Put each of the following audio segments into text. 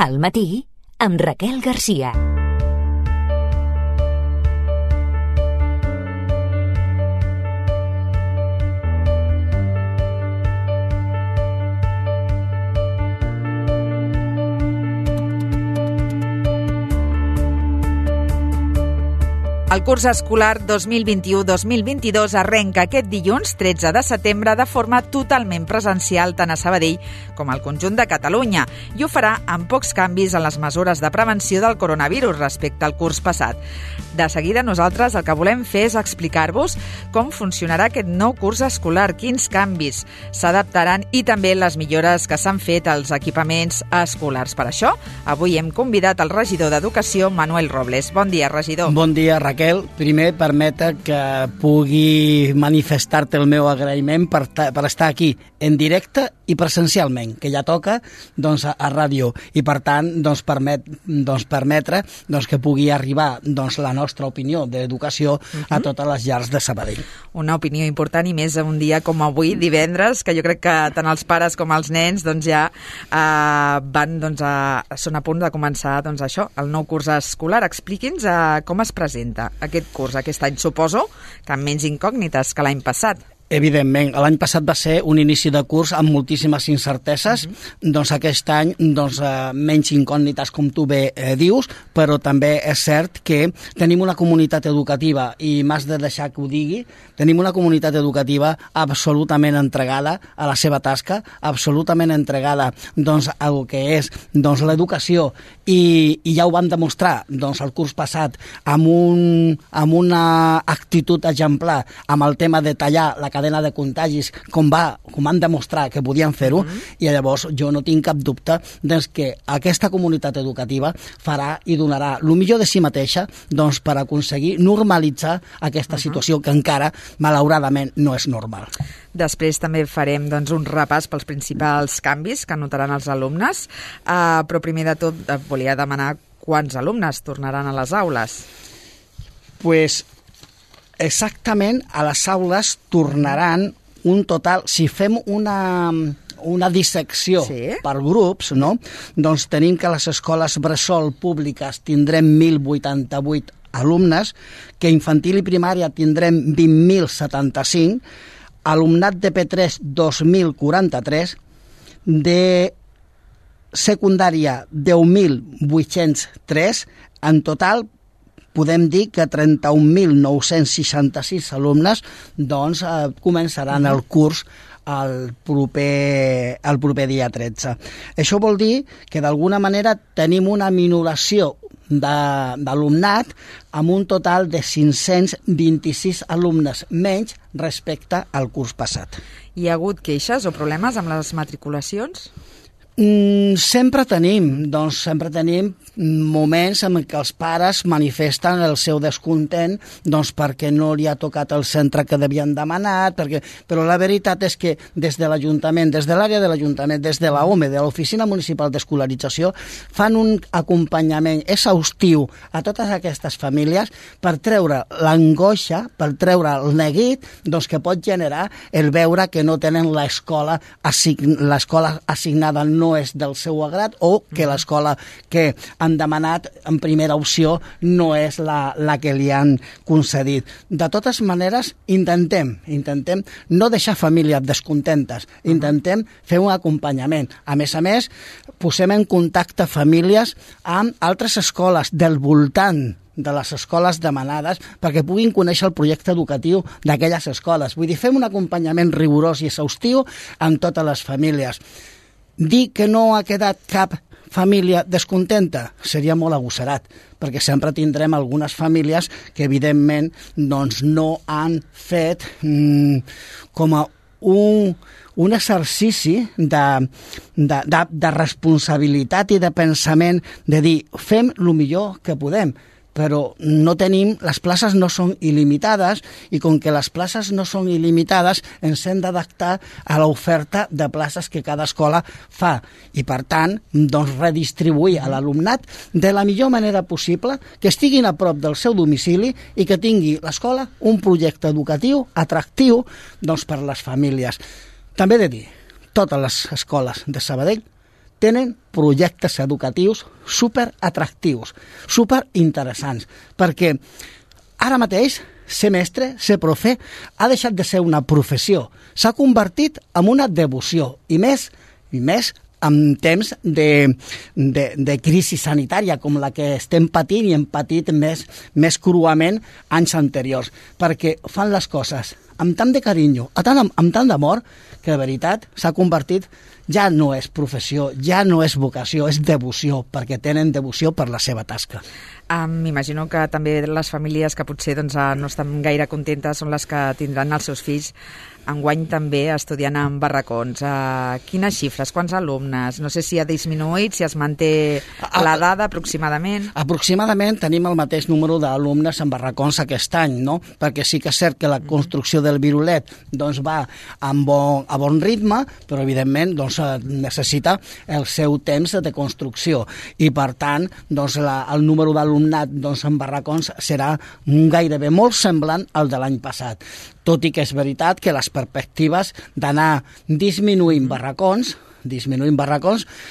Al matí, amb Raquel Garcia. El curs escolar 2021-2022 arrenca aquest dilluns 13 de setembre de forma totalment presencial tant a Sabadell com al conjunt de Catalunya i ho farà amb pocs canvis en les mesures de prevenció del coronavirus respecte al curs passat. De seguida nosaltres el que volem fer és explicar-vos com funcionarà aquest nou curs escolar, quins canvis s'adaptaran i també les millores que s'han fet als equipaments escolars. Per això, avui hem convidat el regidor d'Educació, Manuel Robles. Bon dia, regidor. Bon dia, Raquel. Primer, permeta que pugui manifestar-te el meu agraïment per estar aquí en directe i presencialment, que ja toca a ràdio, i per tant permetre que pugui arribar la nostra opinió d'educació a totes les llars de Sabadell. Una opinió important i més un dia com avui, divendres, que jo crec que tant els pares com els nens ja són a punt de començar això, el nou curs escolar. Expliqui'ns com es presenta aquest curs aquest any. Suposo que amb menys incògnites que l'any passat. Evidentment, l'any passat va ser un inici de curs amb moltíssimes incerteses, aquest any menys incògnites, com tu bé dius, però també és cert que tenim una comunitat educativa, i m'has de deixar que ho digui, tenim una comunitat educativa absolutament entregada a la seva tasca, absolutament entregada al que és l'educació, i ja ho vam demostrar el curs passat amb una actitud exemplar amb el tema de tallar la cadena de contagis, com han demostrat que podien fer-ho, i llavors jo no tinc cap dubte que aquesta comunitat educativa farà i donarà el millor de si mateixa per aconseguir normalitzar aquesta situació que encara, malauradament, no és normal. Després també farem un repàs pels principals canvis que notaran els alumnes, però primer de tot volia demanar quants alumnes tornaran a les aules. Exactament, a les aules tornaran un total, si fem una dissecció per grups, tenim que a les escoles bressol públiques tindrem 1.088 alumnes, que infantil i primària tindrem 20.075, alumnat de P3 2.043, de secundària 10.803, en total podem dir que 31.966 alumnes començaran el curs el proper dia 13. Això vol dir que d'alguna manera tenim una minoració d'alumnat amb un total de 526 alumnes menys respecte al curs passat. Hi ha hagut queixes o problemes amb les matriculacions? Sempre tenim moments en què els pares manifesten el seu descontent perquè no li ha tocat el centre que devien demanar, però la veritat és que des de l'Ajuntament, des de l'àrea de l'Ajuntament, des de l'OME, de l'Oficina Municipal d'Escolarització, fan un acompanyament exhaustiu a totes aquestes famílies per treure l'angoixa, per treure el neguit que pot generar el veure que no tenen l'escola assignada no és del seu agrat, o que l'escola que han demanat en primera opció no és la que li han concedit. De totes maneres, intentem no deixar famílies descontentes, intentem fer un acompanyament. A més, posem en contacte famílies amb altres escoles del voltant de les escoles demanades perquè puguin conèixer el projecte educatiu d'aquelles escoles. Vull dir, fem un acompanyament rigorós i exhaustiu amb totes les famílies. Dir que no ha quedat cap família descontenta seria molt agosserat, perquè sempre tindrem algunes famílies que evidentment no han fet com a un exercici de responsabilitat i de pensament, de dir, fem el millor que podem, però no tenim, les places no són il·limitades, i com que les places no són il·limitades, ens hem d'adaptar a l'oferta de places que cada escola fa, i per tant redistribuir a l'alumnat de la millor manera possible, que estiguin a prop del seu domicili i que tingui l'escola un projecte educatiu atractiu per les famílies. També he de dir, totes les escoles de Sabadell tenen projectes educatius superatractius, superinteressants, perquè ara mateix ser mestre, ser profe, ha deixat de ser una professió, s'ha convertit en una devoció, i més en temps de crisi sanitària com la que estem patint i hem patit més cruament anys anteriors, perquè fan les coses amb tant de carinyo, amb tant d'amor, que de veritat s'ha convertit, ja no és professió, ja no és vocació, és devoció, perquè tenen devoció per la seva tasca. M'imagino que també les famílies que potser no estan gaire contentes són les que tindran els seus fills enguany també estudiant en barracons. Quines xifres, quants alumnes? No sé si ha disminuït, si es manté la dada aproximadament. Aproximadament tenim el mateix número d'alumnes en barracons aquest any, no? Perquè sí que és cert que la construcció del virulet va a bon ritme, però evidentment necessita el seu temps de construcció i per tant el número d'alumnat en barracons serà gairebé molt semblant al de l'any passat. Tot i que és veritat que les perspectives d'anar disminuint barracons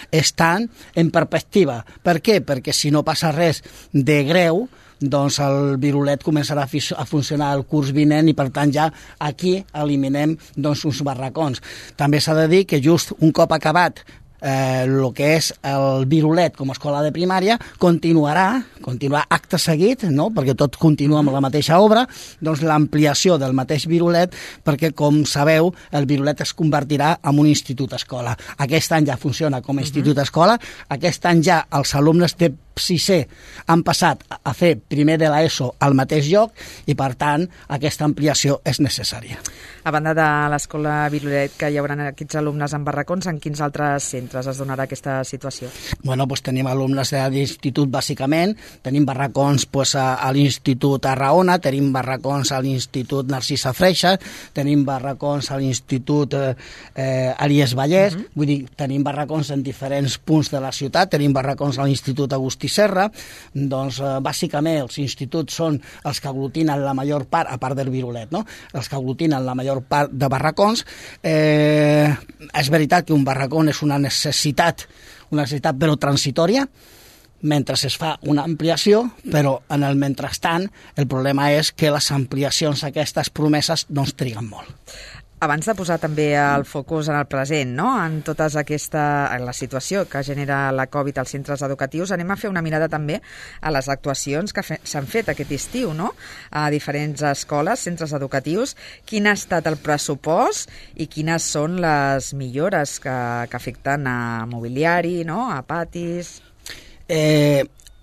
estan en perspectiva. Per què? Perquè si no passa res de greu, el virulet començarà a funcionar el curs vinent i per tant ja aquí eliminem uns barracons. També s'ha de dir que just un cop acabat el que és el virulet com a escola de primària, continuarà acte seguit, no? Perquè tot continua amb la mateixa obra, l'ampliació del mateix virulet, perquè com sabeu el virulet es convertirà en un institut escola. Aquest any ja funciona com a institut escola, aquest any ja els alumnes de sisè han passat a fer primer de l'ESO al mateix lloc i per tant aquesta ampliació és necessària. A banda de l'escola Virulet, que hi haurà aquests alumnes en barracons, en quins altres centres es donarà aquesta situació? Tenim alumnes de l'institut bàsicament, tenim barracons a l'Institut Arraona, tenim barracons a l'Institut Narcisa Freixa, tenim barracons a l'Institut Elies Vallès, vull dir, tenim barracons en diferents punts de la ciutat, tenim barracons a l'Institut Agustí Serra, bàsicament els instituts són els que aglutinen la major part, a part del virulet, no? Els que aglutinen la major part de barracons. És veritat que un barracó és una necessitat però transitòria, mentre es fa una ampliació, però en el mentrestant el problema és que les ampliacions aquestes promeses triguen molt. Abans de posar també el focus en el present, no? En tota la situació que genera la Covid als centres educatius, anem a fer una mirada també a les actuacions que s'han fet aquest estiu, no? A diferents escoles, centres educatius. Quin ha estat el pressupost i quines són les millores que afecten a mobiliari, no? A patis...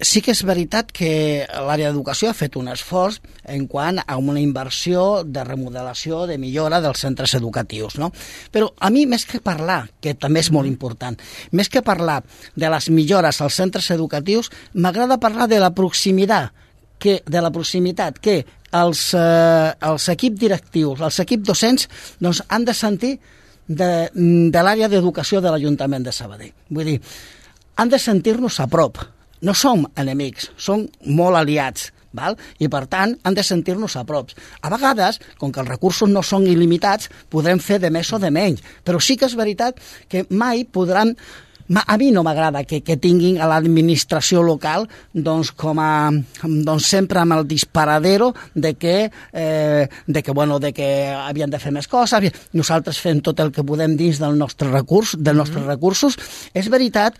Sí que és veritat que l'àrea d'educació ha fet un esforç en quant a una inversió de remodelació, de millora dels centres educatius, no? Però a mi, més que parlar, que també és molt important, més que parlar de les millores als centres educatius, m'agrada parlar de la proximitat, que els equips directius, els equips docents, han de sentir de l'àrea d'educació de l'Ajuntament de Sabadell. Vull dir, han de sentir-nos a prop. No som enemics, som molt aliats, val? I per tant han de sentir-nos a prop. A vegades, com que els recursos no són il·limitats, podrem fer de més o de menys, però sí que és veritat que mai podran... A mi no m'agrada que tinguin a l'administració local sempre amb el disparadero de que havien de fer més coses. Nosaltres fem tot el que podem dins dels nostres recursos. És veritat,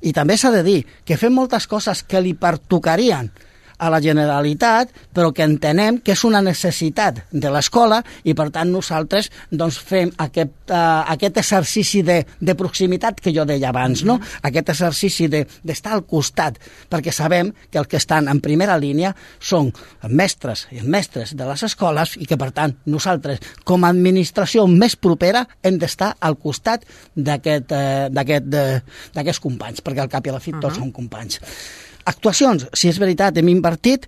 i també s'ha de dir, que fem moltes coses que li pertocarien a la Generalitat, però que entenem que és una necessitat de l'escola i per tant nosaltres fem aquest exercici de proximitat que jo deia abans, no? Aquest exercici d'estar al costat, perquè sabem que els que estan en primera línia són els mestres i els mestres de les escoles i que per tant nosaltres com a administració més propera hem d'estar al costat d'aquests companys, perquè al cap i a la fi tots són companys. Actuacions, si és veritat, hem invertit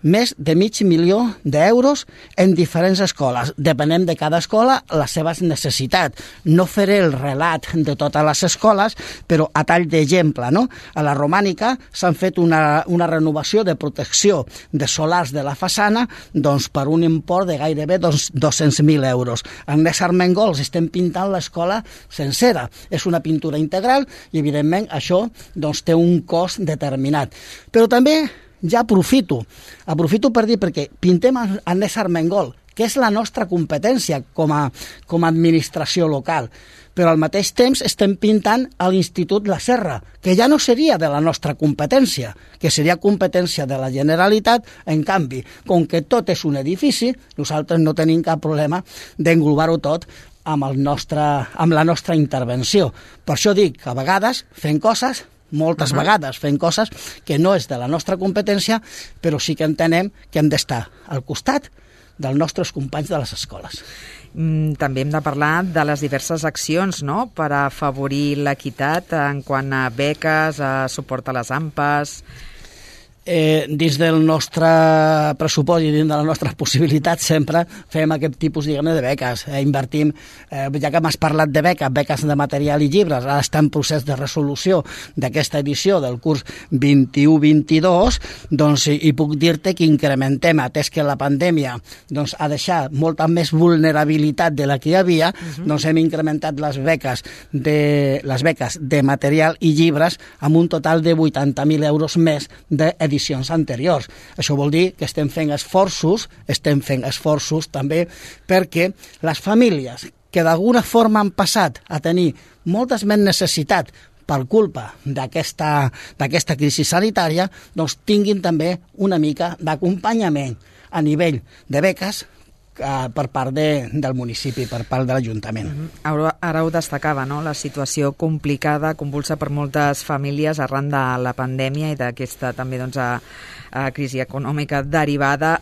més de $500.000 en diferents escoles. Depenem de cada escola les seves necessitats. No faré el relat de totes les escoles, però a tall d'exemple, no? A la Romànica s'han fet una renovació de protecció de solars de la façana doncs, per un import de gairebé €200.000. En Agnès Armengols estem pintant l'escola sencera. És una pintura integral i, evidentment, això doncs, té un cost determinat. Però també ja aprofito per dir, perquè pintem Agnès Armengol, que és la nostra competència com a administració local, però al mateix temps estem pintant a l'Institut La Serra, que ja no seria de la nostra competència, que seria competència de la Generalitat. En canvi, com que tot és un edifici, nosaltres no tenim cap problema d'englobar-ho tot amb la nostra intervenció. Per això dic que a vegades fem coses, moltes vegades fem coses que no és de la nostra competència, però sí que entenem que hem d'estar al costat dels nostres companys de les escoles. També hem de parlar de les diverses accions, no?, per afavorir l'equitat en quant a beques, a suport a les AMPAs. Dins del nostre pressupost i dins de les nostres possibilitats sempre fem aquest tipus, diguem-ne, de beques. Invertim, ja que m'has parlat de beques de material i llibres, ara està en procés de resolució d'aquesta edició del curs 21-22, doncs hi puc dir-te que incrementem, atès que la pandèmia doncs, ha deixat molta més vulnerabilitat de la que hi havia, doncs hem incrementat les beques de material i llibres amb un total de €80.000 més d'edicions anteriors. Això vol dir que estem fent esforços també perquè les famílies que d'alguna forma han passat a tenir moltes més necessitats per culpa d'aquesta crisi sanitària, doncs tinguin també una mica d'acompanyament a nivell de beques per part del municipi, per part de l'Ajuntament. Ara ho destacava, no?, la situació complicada, convulsa per moltes famílies arran de la pandèmia i d'aquesta també doncs, crisi econòmica derivada.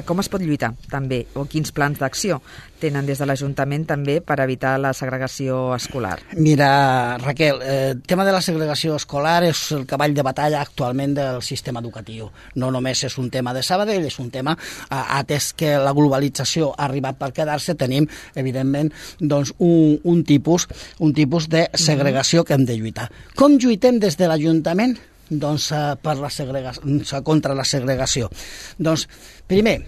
Com es pot lluitar també, o quins plans d'acció tenen des de l'Ajuntament també per evitar la segregació escolar? Mira, Raquel, el tema de la segregació escolar és el cavall de batalla actualment del sistema educatiu. No només és un tema de Sabadell, és un tema, atès que la globalització ha arribat per quedar-se, tenim, evidentment, doncs, un tipus de segregació que hem de lluitar. Com lluitem des de l'Ajuntament? Doncs contra la segregació. Doncs, primer,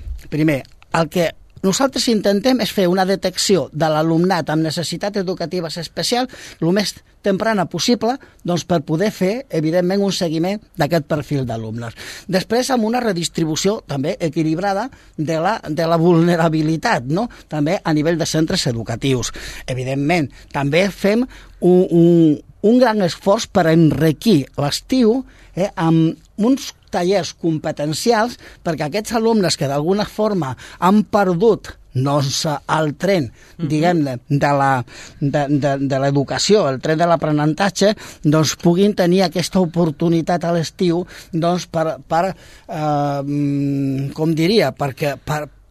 el que nosaltres intentem és fer una detecció de l'alumnat amb necessitats educatives especials el més temprana possible, doncs, per poder fer, evidentment, un seguiment d'aquest perfil d'alumnes. Després, amb una redistribució també equilibrada de la vulnerabilitat, no?, també a nivell de centres educatius. Evidentment, també fem un gran esforç per enriquir l'estiu amb uns tallers competencials perquè aquests alumnes que d'alguna forma han perdut doncs, el tren, diguem-ne, de l'educació, el tren de l'aprenentatge, doncs puguin tenir aquesta oportunitat a l'estiu doncs,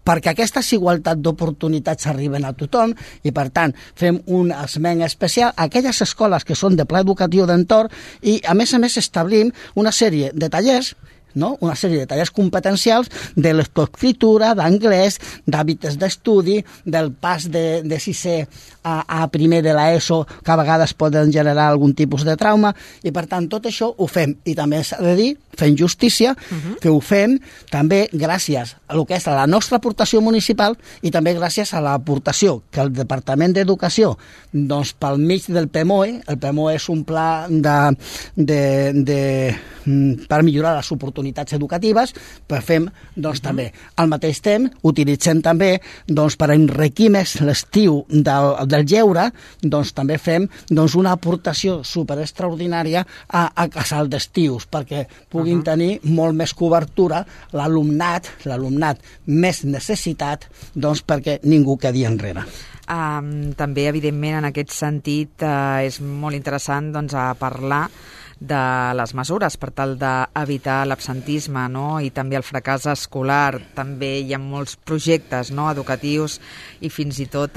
perquè aquestes igualtat d'oportunitats arriben a tothom i, per tant, fem un esment especial a aquelles escoles que són de pla educatiu d'entorn i, a més, establim una sèrie de tallers, no?, una sèrie de tallers competencials de lectoescriptura, d'anglès, d'hàbits d'estudi, del pas de sisè a primer de l'ESO, que a vegades poden generar algun tipus de trauma, i per tant tot això ho fem. I també s'ha de dir, fent justícia, que ho fem també gràcies a el que és la nostra aportació municipal i també gràcies a l'aportació que el Departament d'Educació, doncs pel mig del PEMOE, el PEMOE és un pla per millorar les oportunitats educatives, però fem doncs, també. Al mateix temps, utilitzem també doncs, per enriquir més l'estiu del lleure, doncs, també fem doncs, una aportació superextraordinària a casal d'estius, perquè puguin tenir molt més cobertura l'alumnat més necessitat, doncs, perquè ningú quedi enrere. També, evidentment, en aquest sentit, és molt interessant doncs, parlar de les mesures per tal d'evitar l'absentisme, no?, i també el fracàs escolar. També hi ha molts projectes, no?, educatius i fins i tot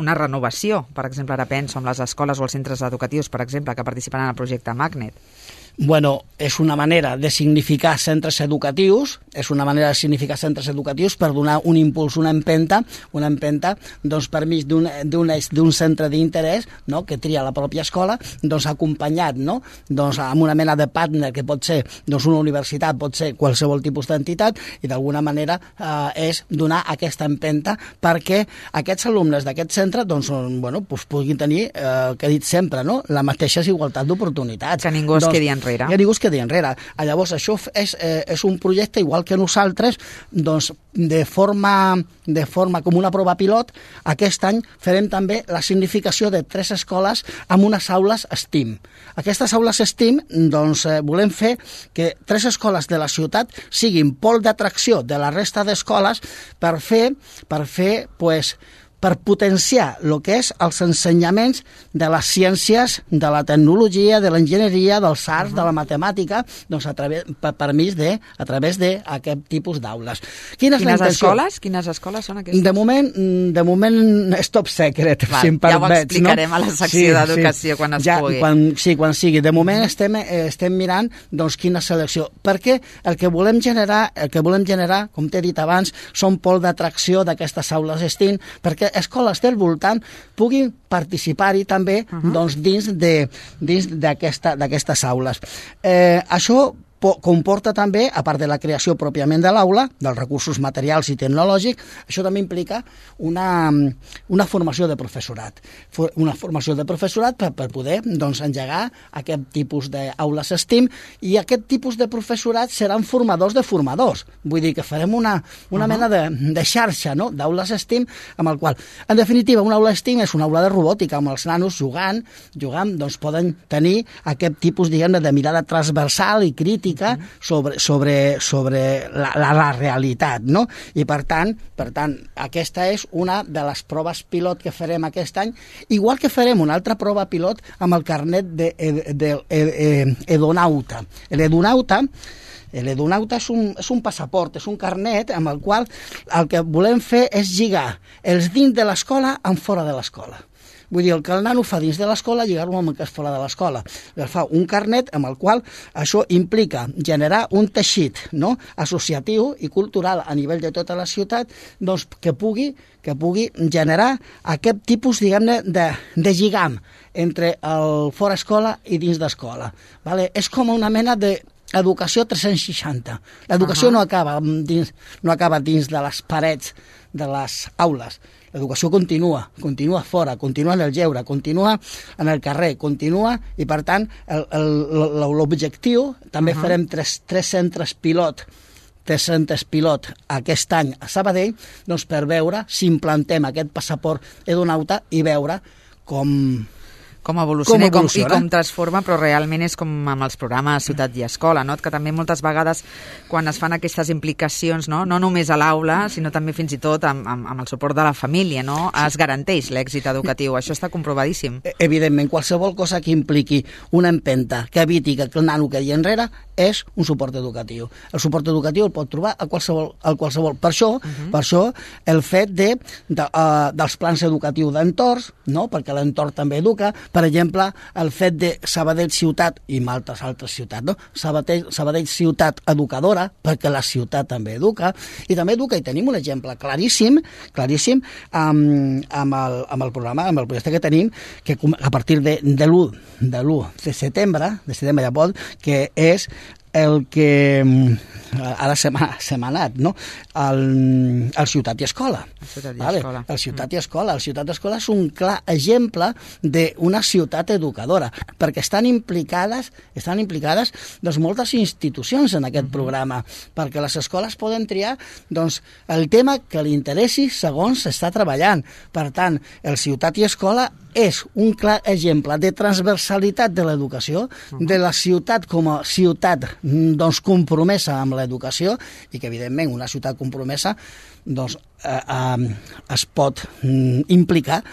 una renovació. Per exemple, ara penso en les escoles o els centres educatius, per exemple, que participen en el projecte Magnet. Bueno, és una manera de significar centres educatius, per donar un impuls, una empenta doncs, per mig d'un centre d'interès, no?, que tria la pròpia escola, doncs, acompanyat, no?, doncs, amb una mena de partner que pot ser doncs, una universitat, pot ser qualsevol tipus d'entitat, i d'alguna manera és donar aquesta empenta perquè aquests alumnes d'aquest centre doncs, bueno, doncs, puguin tenir, que he dit sempre, no?, la mateixa igualtat d'oportunitats. Que ningú es quedi enrere. Que ningú es quedi enrere. Llavors, això és un projecte, igual que nosaltres, doncs, de forma com una prova pilot, aquest any farem també la significació de 3 escoles amb unes aules STEAM. Aquestes aules STEAM, doncs, volem fer que 3 escoles de la ciutat siguin pol d'atracció de la resta d'escoles per potenciar el que és els ensenyaments de les ciències, de la tecnologia, de l'enginyeria, dels arts, de la matemàtica, doncs a través d'aquest tipus d'aules. Quines escoles són aquestes? De moment és top secret, si em permets. Ja ho explicarem a la secció d'educació quan es pugui. Quan sigui. De moment estem mirant doncs, quina selecció. Perquè el que volem generar, com t'he dit abans, són pol d'atracció d'aquestes aules STEAM, perquè escoles del voltant puguin participar-hi també doncs, dins d'aquestes aules. Això comporta també, a part de la creació pròpiament de l'aula, dels recursos materials i tecnològics, això també implica una formació de professorat. Una formació de professorat per poder doncs, engegar aquest tipus d'aules STEAM, i aquest tipus de professorat seran formadors de formadors. Vull dir que farem una mena de xarxa, no?, d'aules STEAM, amb el qual, en definitiva, una aula STEAM és una aula de robòtica, amb els nanos jugant, doncs poden tenir aquest tipus, diguem-ne, de mirada transversal i crítica sobre la realitat, no? I per tant, aquesta és una de les proves pilot que farem aquest any, igual que farem una altra prova pilot amb el carnet d'edonauta. L'edonauta és un passaport, és un carnet amb el qual el que volem fer és lligar els dins de l'escola amb fora de l'escola. Vull dir, el que el nano fa dins de l'escola, lligar-lo amb el que és fora de l'escola. Fa un carnet amb el qual això implica generar un teixit, no?, associatiu i cultural a nivell de tota la ciutat, doncs, que pugui generar aquest tipus, diguem-ne, de lligam entre el fora escola i dins d'escola. Vale? És com una mena d'educació 360. L'educació no acaba dins de les parets de les aules. L'educació continua fora, continua en el lleure, continua en el carrer, continua, i per tant l'objectiu, també farem tres centres pilot aquest any a Sabadell, doncs per veure si implantem aquest passaport edonauta i veure com evoluciona i com transforma, però realment és com amb els programes Ciutat i Escola, no? Que també moltes vegades quan es fan aquestes implicacions, no només a l'aula, sinó també fins i tot amb el suport de la família, no? Es garanteix l'èxit educatiu, això està comprovadíssim. Evidentment, qualsevol cosa que impliqui una empenta, que eviti que el nano quedi enrere, és un suport educatiu. El suport educatiu el pot trobar a qualsevol. Per això el fet dels plans educatius d'entorns, no? Perquè l'entorn també educa. Per exemple, el fet de Sabadell ciutat i moltes altres ciutats, no? Sabadell ciutat educadora, perquè la ciutat també educa, i també educa, i tenim un exemple claríssim amb el programa, amb el projecte que tenim, que a partir de l'1 de setembre ja pot, que és el que ara se m'ha anat, no? El Ciutat i Escola. El Ciutat i Escola. El Ciutat i Escola és un clar exemple d'una ciutat educadora, perquè estan implicades doncs, moltes institucions en aquest programa, perquè les escoles poden triar doncs, el tema que li interessi segons s'està treballant. Per tant, el Ciutat i Escola és un clar exemple de transversalitat de l'educació, de la ciutat com a ciutat doncs, compromesa amb l'educació, i que evidentment una ciutat compromesa doncs, es pot implicar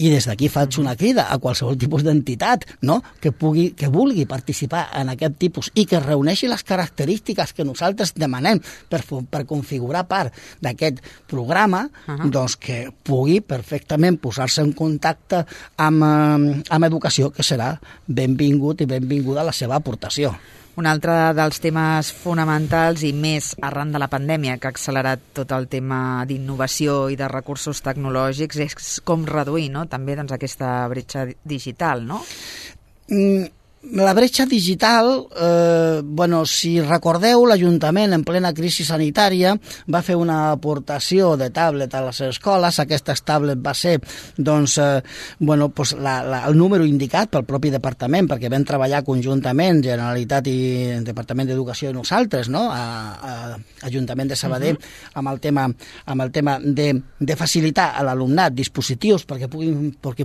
I des d'aquí faig una crida a qualsevol tipus d'entitat, no?, que vulgui participar en aquest tipus i que reuneixi les característiques que nosaltres demanem per configurar part d'aquest programa, doncs que pugui perfectament posar-se en contacte amb Educació, que serà benvingut i benvinguda la seva aportació. Un altre dels temes fonamentals i més arran de la pandèmia que ha accelerat tot el tema d'innovació i de recursos tecnològics és com reduir, no?, també doncs, aquesta bretxa digital, no? La bretxa digital, si recordeu, l'Ajuntament en plena crisi sanitària va fer una aportació de tablet a les escoles. Aquestes tablet va ser el número indicat pel propi departament, perquè vam treballar conjuntament, Generalitat i Departament d'Educació i nosaltres, no?, a Ajuntament de Sabadell, amb el tema de facilitar a l'alumnat dispositius perquè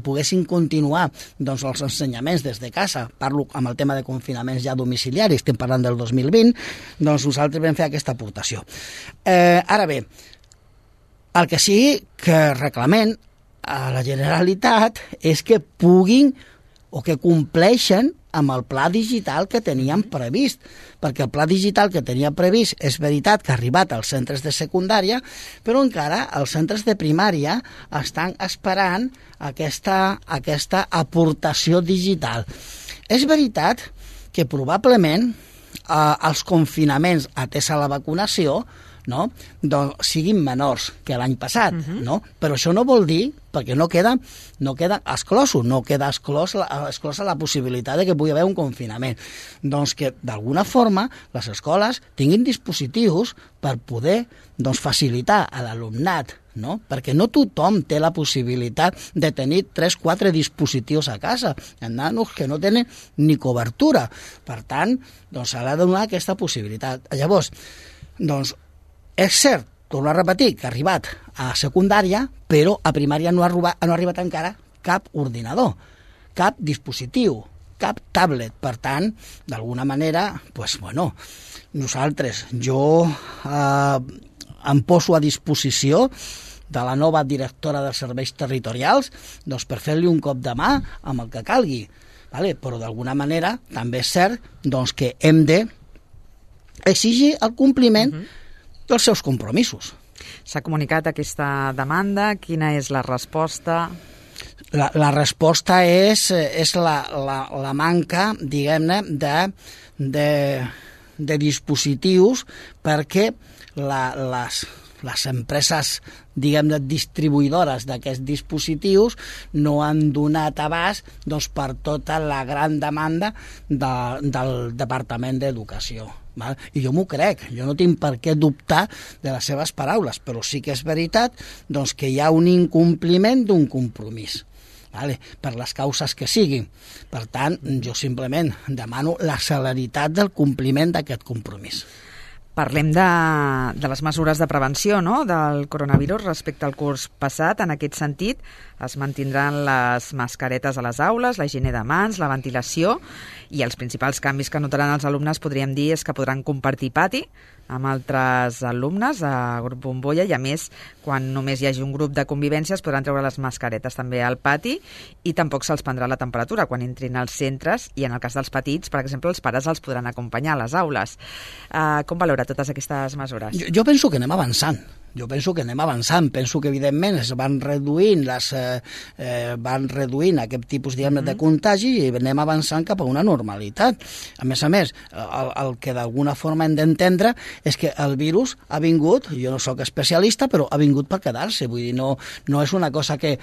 poguessin continuar els ensenyaments des de casa. Parlo amb el tema de confinaments ja domiciliaris, estem parlant del 2020, doncs nosaltres vam fer aquesta aportació. Ara bé, el que sí que reclamem a la Generalitat és que puguin o que compleixen amb el pla digital que teníem previst, perquè el pla digital que tenia previst és veritat que ha arribat als centres de secundària, però encara els centres de primària estan esperant aquesta aportació digital. És veritat que probablement els confinaments atesa la vacunació, no?, doncs siguin menors que l'any passat, no? Però això no vol dir, perquè no queda exclosa la possibilitat de que pugui haver un confinament. Doncs que, d'alguna forma, les escoles tinguin dispositius per poder facilitar a l'alumnat, no? Perquè no tothom té la possibilitat de tenir 3-4 dispositius a casa. Hi ha nanos que no tenen ni cobertura. Per tant, s'ha de donar aquesta possibilitat. Llavors, és cert, torno a repetir, que ha arribat a secundària, però a primària no ha arribat encara cap ordinador, cap dispositiu, cap tablet. Per tant, d'alguna manera, jo em poso a disposició de la nova directora dels serveis territorials per fer-li un cop de mà amb el que calgui. Però d'alguna manera també és cert que hem d'exigir el compliment dels seus compromisos. S'ha comunicat aquesta demanda? Quina és la resposta? La resposta és la manca, diguem-ne, de dispositius perquè les empreses, diguem-ne, distribuïdores d'aquests dispositius no han donat abast per tota la gran demanda del Departament d'Educació. I jo m'ho crec, jo no tinc per què dubtar de les seves paraules, però sí que és veritat que hi ha un incompliment d'un compromís, per les causes que siguin. Per tant, jo simplement demano la celeritat del compliment d'aquest compromís. Parlem de les mesures de prevenció, no?, del coronavirus respecte al curs passat. En aquest sentit, es mantindran les mascaretes a les aules, la higiene de mans, la ventilació, i els principals canvis que notaran els alumnes, podríem dir, és que podran compartir pati amb altres alumnes a grup bombolla, i a més, quan només hi hagi un grup de convivència es podran treure les mascaretes també al pati, i tampoc se'ls prendrà la temperatura quan entrin als centres, i en el cas dels petits, per exemple, els pares els podran acompanyar a les aules. Com valora totes aquestes mesures? Jo penso que anem avançant. Penso que evidentment es van reduint aquest tipus de contagi i anem avançant cap a una normalitat. A més, el que d'alguna forma hem d'entendre és que el virus ha vingut, jo no sóc especialista, però ha vingut per quedar-se. Vull dir, no és una cosa que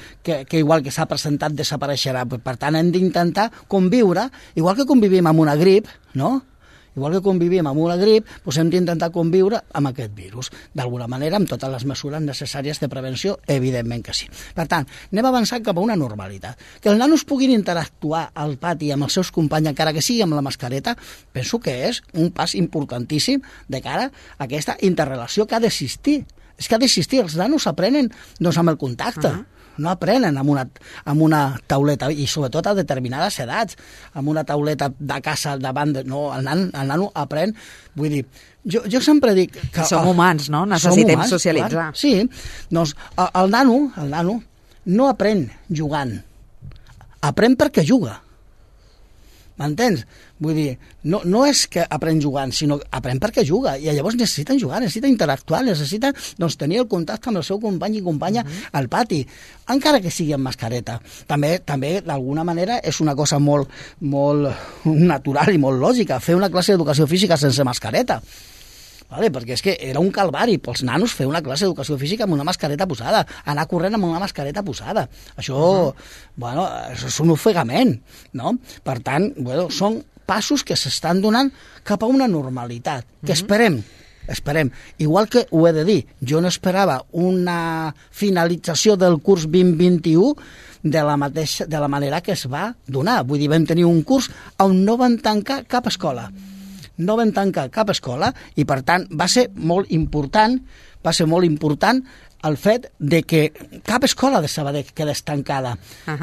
igual que s'ha presentat desapareixerà. Per tant, hem d'intentar conviure, igual que convivim amb una grip, no?, igual que convivim amb una grip, hem d'intentar conviure amb aquest virus. D'alguna manera, amb totes les mesures necessàries de prevenció, evidentment que sí. Per tant, anem avançant cap a una normalitat. Que els nanos puguin interactuar al pati amb els seus companys, encara que sigui amb la mascareta, penso que és un pas importantíssim de cara a aquesta interrelació que ha d'existir. És que ha d'existir, els nanos aprenen amb el contacte. No aprenen amb una tauleta, i sobretot a determinades edats, amb una tauleta de casa davant el nano aprèn. Vull dir, jo sempre dic que... Som humans, no? Necessitem socialitzar. Clar, sí, doncs el nano no aprèn jugant, aprèn perquè juga. M'entens? Vull dir, no és que aprèn jugant, sinó que aprèn perquè juga, i llavors necessiten jugar, necessita interactuar, necessita tenir el contacte amb el seu company i companya al pati, encara que sigui amb mascareta. També d'alguna manera, és una cosa molt natural i molt lògica, fer una classe d'educació física sense mascareta. Vale, perquè és que era un calvari pels nanos fer una classe d'educació física amb una mascareta posada, anar corrent amb una mascareta posada. Això, això és un ofegament, no? Per tant, són passos que s'estan donant cap a una normalitat, que esperem. Igual que ho he de dir, jo no esperava una finalització del curs 2021 de la manera que es va donar. Vull dir, vam tenir un curs on no van tancar cap escola. I per tant va ser molt important el fet de que cap escola de Sabadell quedés tancada.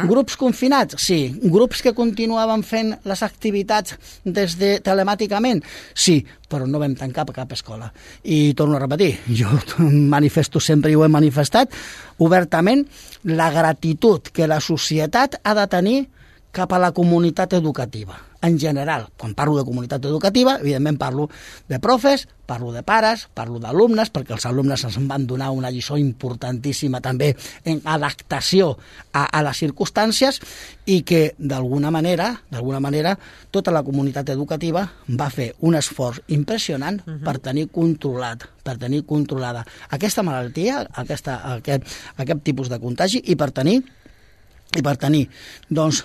Grups confinats? Sí. Grups que continuaven fent les activitats telemàticament? Sí, però no vam tancar cap escola. I torno a repetir, jo manifesto sempre i ho he manifestat obertament la gratitud que la societat ha de tenir cap a la comunitat educativa, en general. Quan parlo de comunitat educativa, evidentment parlo de profes, parlo de pares, parlo d'alumnes, perquè els alumnes ens van donar una lliçó importantíssima també en adaptació a les circumstàncies, i que d'alguna manera tota la comunitat educativa va fer un esforç impressionant per tenir controlada aquesta malaltia, aquest tipus de contagi, i per tenir doncs,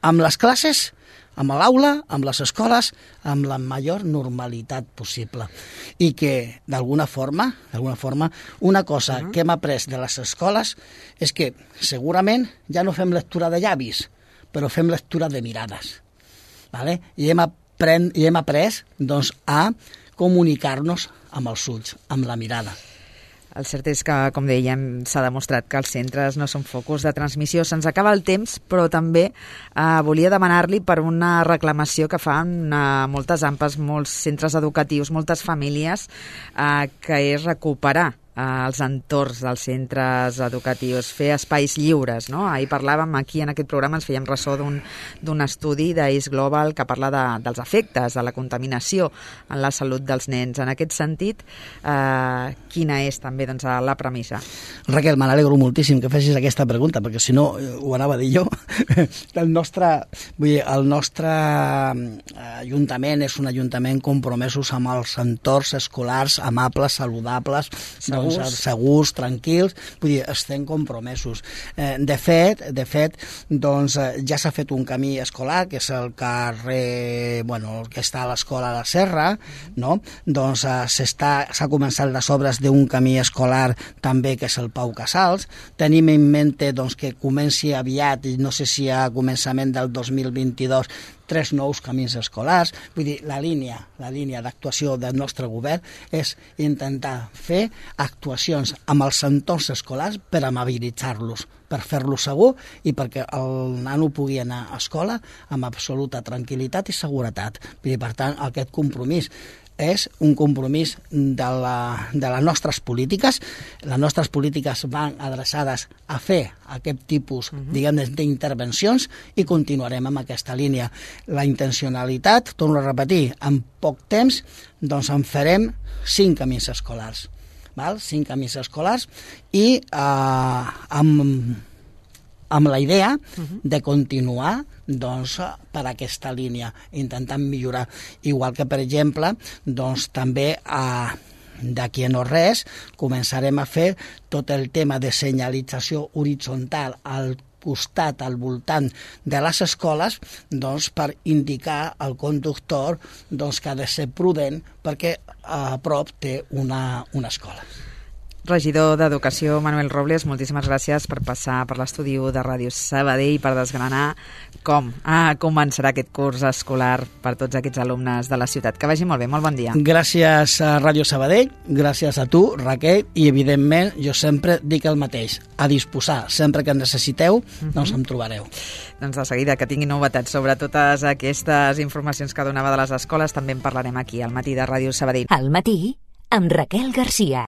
amb les classes, amb l'aula, amb les escoles, amb la major normalitat possible. I que, d'alguna forma, una cosa que hem après de les escoles és que segurament ja no fem lectura de llavis, però fem lectura de mirades. ¿Vale? I hem après a comunicar-nos amb els ulls, amb la mirada. El cert és que, com dèiem, s'ha demostrat que els centres no són focus de transmissió. Se'ns acaba el temps, però també volia demanar-li per una reclamació que fan moltes AMPAs, molts centres educatius, moltes famílies, que és recuperar els entorns dels centres educatius, fer espais lliures, no? Ahir parlàvem aquí en aquest programa, ens fèiem ressò d'un estudi d'Ace Global que parla dels efectes de la contaminació en la salut dels nens. En aquest sentit, quina és també la premissa? Raquel, me n'alegro moltíssim que facis aquesta pregunta, perquè si no ho anava a dir jo. El nostre ajuntament és un ajuntament compromesos amb els entorns escolars amables, saludables, segurs, tranquils, vull dir, estem compromesos. De fet, ja s'ha fet un camí escolar, que és el carrer, que està a l'escola de la Serra, no? Doncs s'ha començat les obres d'un camí escolar també, que és el Pau Casals. Tenim en mente que comenci aviat, i no sé si a començament del 2022, 3 nous camins escolars. Vull dir, la línia d'actuació del nostre govern és intentar fer actuacions amb els entorns escolars per amabilitzar-los, per fer-los segur i perquè el nano pugui anar a escola amb absoluta tranquil·litat i seguretat. Vull dir, per tant, aquest compromís és un compromís de les nostres polítiques. Les nostres polítiques van adreçades a fer aquest tipus, d'intervencions, i continuarem amb aquesta línia. La intencionalitat, torno a repetir, en poc temps en farem 5 camins escolars. 5 camins escolars i amb la idea de continuar per aquesta línia, intentant millorar. Igual que, per exemple, també d'aquí a no res començarem a fer tot el tema de senyalització horitzontal al costat, al voltant de les escoles, per indicar al conductor que ha de ser prudent perquè a prop té una escola. Regidor d'Educació, Manuel Robles, moltíssimes gràcies per passar per l'estudi de Ràdio Sabadell i per desgranar com començarà aquest curs escolar per tots aquests alumnes de la ciutat. Que vagi molt bé, molt bon dia. Gràcies a Ràdio Sabadell, gràcies a tu, Raquel, i evidentment jo sempre dic el mateix, a disposar, sempre que en necessiteu, em trobareu. Doncs de seguida que tingui novetats sobre totes aquestes informacions que donava de les escoles, també en parlarem aquí al Matí de Ràdio Sabadell. Al Matí, amb Raquel Garcia.